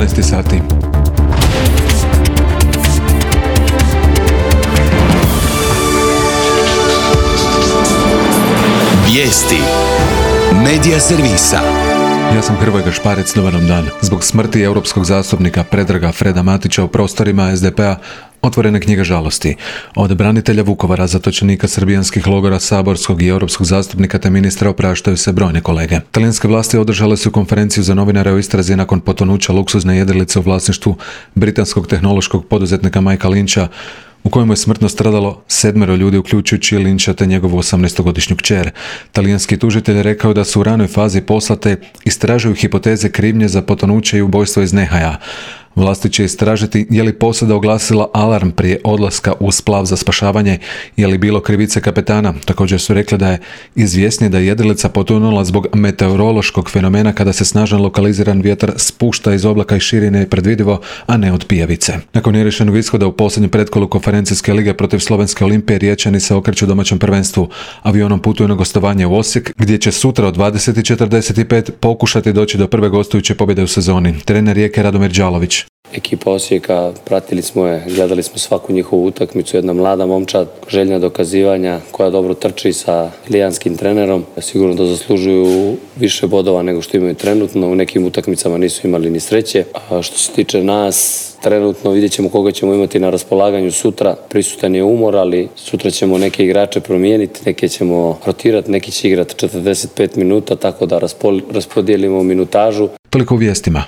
18 sati. Vijesti Medija servisa. Ja sam Hrvoje Gašparec, dobar vam dan. Zbog smrti europskog zastupnika Predraga Freda Matića u prostorima SDP-a otvorena knjiga žalosti. Od branitelja Vukovara, zatočenika srbijanskih logora, saborskog i europskog zastupnika te ministra opraštaju se brojne kolege. Talijanske vlasti održale su konferenciju za novinare o istrazi nakon potonuća luksuzne jedrilice u vlasništvu britanskog tehnološkog poduzetnika Mikea Lyncha, u kojemu je smrtno stradalo 7 ljudi, uključujući Lyncha te njegovu 18-godišnju kćer. Talijanski tužitelj rekao da su u ranoj fazi poslate istražuju hipoteze krivnje za potonuće i ubojstvo iz nehaja. Vlasti će istražiti je li posada oglasila alarm prije odlaska u splav za spašavanje, je li bilo krivice kapetana. Također su rekli da je izvjesnije da je jedrilica potonula zbog meteorološkog fenomena kada se snažan lokaliziran vjetar spušta iz oblaka i širine je predvidivo, a ne od pijavice. Nakon neriješenog ishoda u posljednjem pretkolu konferencijske lige protiv Slovenske Olimpije, Riječani se okreću domaćem prvenstvu. Avionom putuju na gostovanje u Osijek, gdje će sutra od 20:45 pokušati doći do prve gostujuće pobjede u sezoni. Trener Rijeke Radomir Đalović. Ekipa Osijeka, pratili smo je, gledali smo svaku njihovu utakmicu, jedna mlada momčad, željna dokazivanja, koja dobro trči sa lijanskim trenerom. Sigurno da zaslužuju više bodova nego što imaju trenutno, u nekim utakmicama nisu imali ni sreće. A što se tiče nas, trenutno vidjet ćemo koga ćemo imati na raspolaganju sutra. Prisutan je umor, ali sutra ćemo neke igrače promijeniti, neke ćemo rotirati, neki će igrati 45 minuta, tako da raspodijelimo minutažu. Toliko u vijestima.